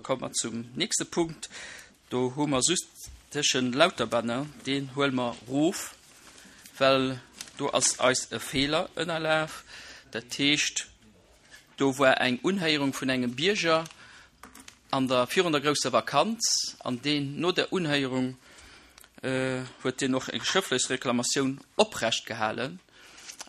komme mer zum nächste Punkt. Do hu mer just tëschen Lauterbanner, deen huele mer erof, well do ass eis e Feeler ënnerlaf. Dat heescht, do war eng Unhéierung vun engem Bierger an der, virun der grousser Vakanz, an deen no der Unhéierung huet deen och eng schrëftlech Reklamatioun oprecht gehalen,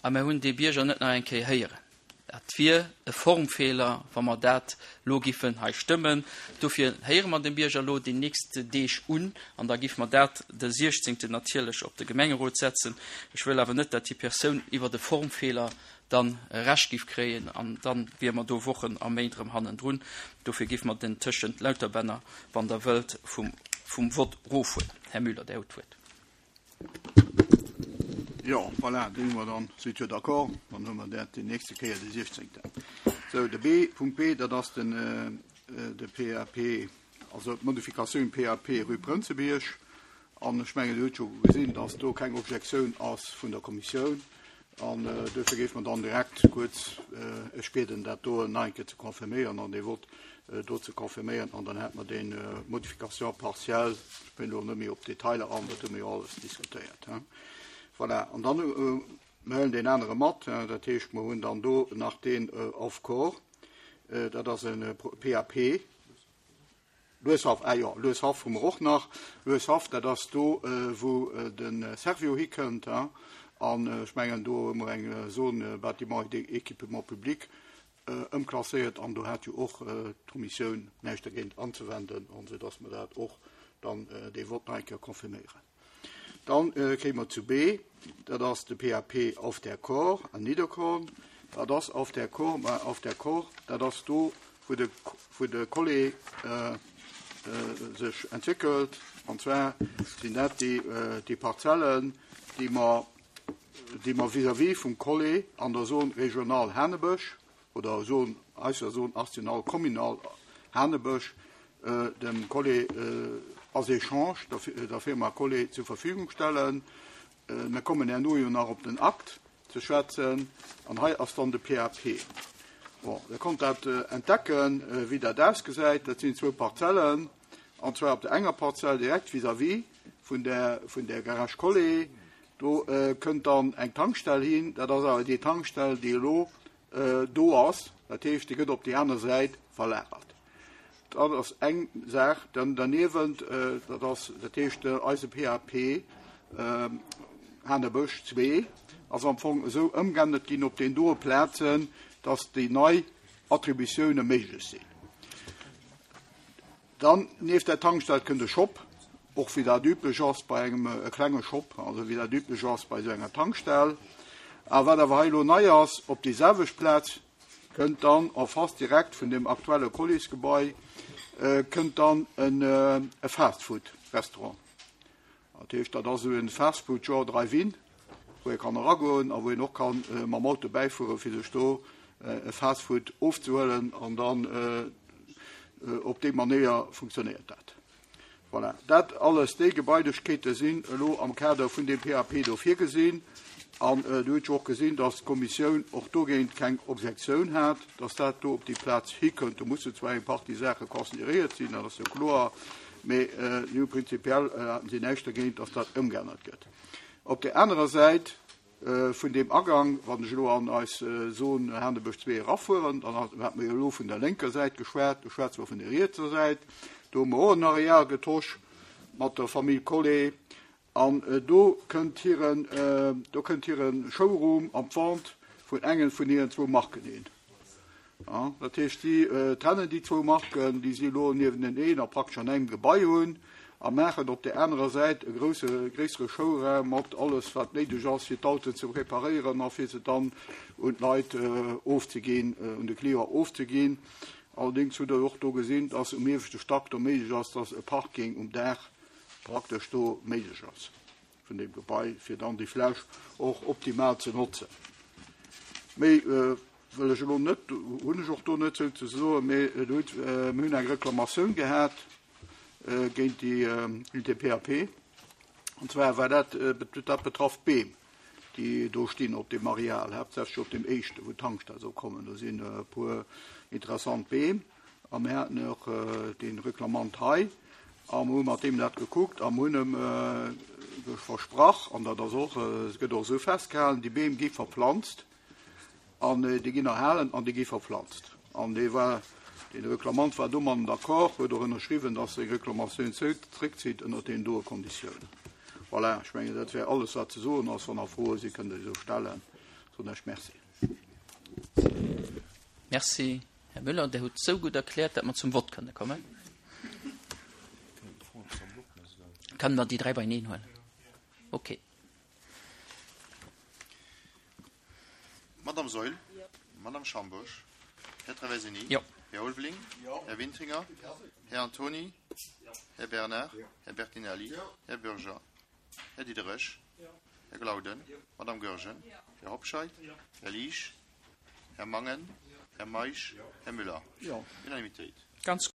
a mer hunn dee Bierger net nach eng Kéier héieren. Dat wier e Formfeeler, wa mer dat elo giffen hei stëmmen. Dofir héiere mer de Bierger elo déi nächst Deeg un an da giffe mer dat de 16. Natierlech op de Gemengerot setzen. Ech wëll awer net, dat déi Persoun iwwert e Formfeeler dann Recht giff kréien an da wiere mer do Wochen a Méint erëm hannendrun. Dofir giffe mer den tëschent Lauterbänner, wann Der wëllt, vum Vott erofhuelen. Här Müller, Dir hutt d'Wuert. Jo, voilà, deen hu mer dann. Sidd jo d'accord? Dann hu mer dat déi nächste Kéier de 16. Sou, de B, Punkt B, dat ass den, de PAP, also d'Modifikatioun PAP rue Prënzebierg. An ech mengen, Dir hutt jo gesinn, dass do keng Objektioun ass vun der Kommissioun. An duerfir géife mer dann direkt kuerz ech bieden, dat do nach eng Kéier ze confirméieren an dee Vott do ze confirméieren. An dann hätte mer déi Modification partielle, ech ginn elo net méi op d'Detailer an, dat hu mer jo alles diskutéiert. Voilà, an dann, mer huelen deen anere mat, dat heescht, mer hunn dann do nach deen Off-Core, dat ass e PAP. Lueshaff, ah jo, Lueshaff hu mer och nach. Lueshaff, dat ass do, wou de Servior hikënnt. An ech mengen, do hu mer eng Zone bâtiments et équipements publics ëmklasséiert an do hat jo och d'Kommissioun näischt dergéint anzewenden, an esou dass mer dat och dann dee Vott nach eng Kéier confirméieren. Dann kéime mer zu B, dat ass de PAP Auf der Kor an Nidderkorn. Wat ass Auf der Kor? Ma Auf der Kor, dat ass do, wou de, wou de Collé sech entwéckelt. An zwar sinn dat déi, déi Parzellen, déi mer, déi mer vis-à-vis vum Collé an der Zone régionale Hanebësch oder Zone, eiser Zone artisanale communale Hanebësch, dem Collé als Echange der Firma Collé zur Verfügung stellen. Mir kommen herno jo nach op den Akt ze schwätzen an hei ass dann de PAP. Bon, Der konnt dat entdecken, wéi dat ausgesäit. Dat sinn zwou Parzellen, an zwar op der enger Parzell direkt vis-à-vis vun der, vun der Garage Collé. Do kënnt dann eng Tankstell hin. Dat ass awer déi Tankstell, déi elo do ass, dat heescht, déi gëtt op déi aner Säit verlagert. Dat ass eng Saach. Dann derniewent, dat ass, dat heescht, eise PAP Hanebësch 2 ass am Fong esou ëmgeännert ginn op den doe Plazen, dass déi nei Attributioune méiglech sinn. Dann nieft der Tankstell kënnt e Shop, och wéi dat üblech ass bei engem, e klenge Shop, also wéi dat üblech ass bei esou enger Tankstell. A wat awer hei elo nei ass, op déi selwecht Plaz kënnt dann en face direkt vun deem aktuelle Colis-Gebai, kënnt dann e Fast-Food-Restaurant. Dat heescht, dat ass esou e Fast-Food genre Drive-In, wou ee kann eragoen a wou een och ka mam Auto bäifueren, fir sech do e Fast-Food ofzehuelen. An dann op déi Manéier funktionéiert dat. Voilà, dat alles, déi Gebailechkeete sinn elo am Kader vun deem PAP do virgesinn. An Dir hutt jo och gesinn, dass d'Kommissioun och dogéint keng Objektioun hat, dass dat do op déi Plaz hikënnt. Do mussen zwar eng Partie Saache consideréiert sinn, dat ass jo kloer, mee si hu prinzipiell haten si näischt dergéint, dass dat ëmgeännert gëtt. Op där anerer Säit vun deem Agang, wann ech elo an eis Zon Hanebësch 2 erafueren, dann hate mer jo elo vun der lénker Säit geschwat, do schwätze mer vun der rietser Säit, do hu mer och en Areal getosch mat der Famill Collet. An do kënnt hiren, do kënnt hire Showroom an d'Vente vun engen vun hiren zwou Marken hin. Dat heescht, si trennen déi zwou Marken, déi si elo niewenteneen a praktesch an engem Gebai hunn, a maachen op där anerer Säit e grousse, gréissere Showraum mat alles, wat néideg ass, fir d'Autoen ze preparéieren a fir se dann un d'Leit ofzeginn, un de Client ofzeginn. Allerdéngs hutt Der och do gesinn, dass um ieweschte Stack do méiglech ass, dass e Parking um Daach praktesch do méiglech ass vun deem Gebai, fir dann déi Fläch och optimal ze notzen. Méi wëll ech elo net, hunn ech och do net sou ze soen, mee et huet, mir hunn eng Reklamatioun gehat géint déi, géint de PAP. An zwar war dat, dat betraff d'Beem, déi do stinn op deem Areal, haaptsächlech op deem éischten, wou d'Tankstell soll kommen. Do sinn e puer interessant Beem. A mir haten och dee Reklamant hei a mir hu mat deem dat gekuckt a mir hunn em versprach, an dat ass och, et gëtt och esou festgehalen, déi Beem gi verplanzt an déi ginn erhalen an déi gi verplanzt. An dee war, dee Reklamant war domatten d'accord, huet och ënnerschriwwen, dass seng Reklamatioun zréckzitt ënnert deenen doe Konditiounen. Voilà, ech mengen, dat wär alles, wat ze soen ass. Wann nach Froe sinn, kënnt Der se stellen. Soen ech Merci. Merci, Här Müller. Der hutt esou gutt erkläert, datt mer zum Vott kënne kommen. Kënnen mer déi dräi beieneen huelen? Okay. Madame Saeul, Madame Schambourg, Här Traversini, Jo. Här Ulveling, Här Wintringer, Här Antony, Här Bernard, Här Bertinelli, Här Bürger, Här Diderich, Här Glauden, Madame Goergen, Här Hobscheit, Här Liesch, Här Mangen, Här Meisch, Här Müller. Jo. Unanimitéit. Ganz.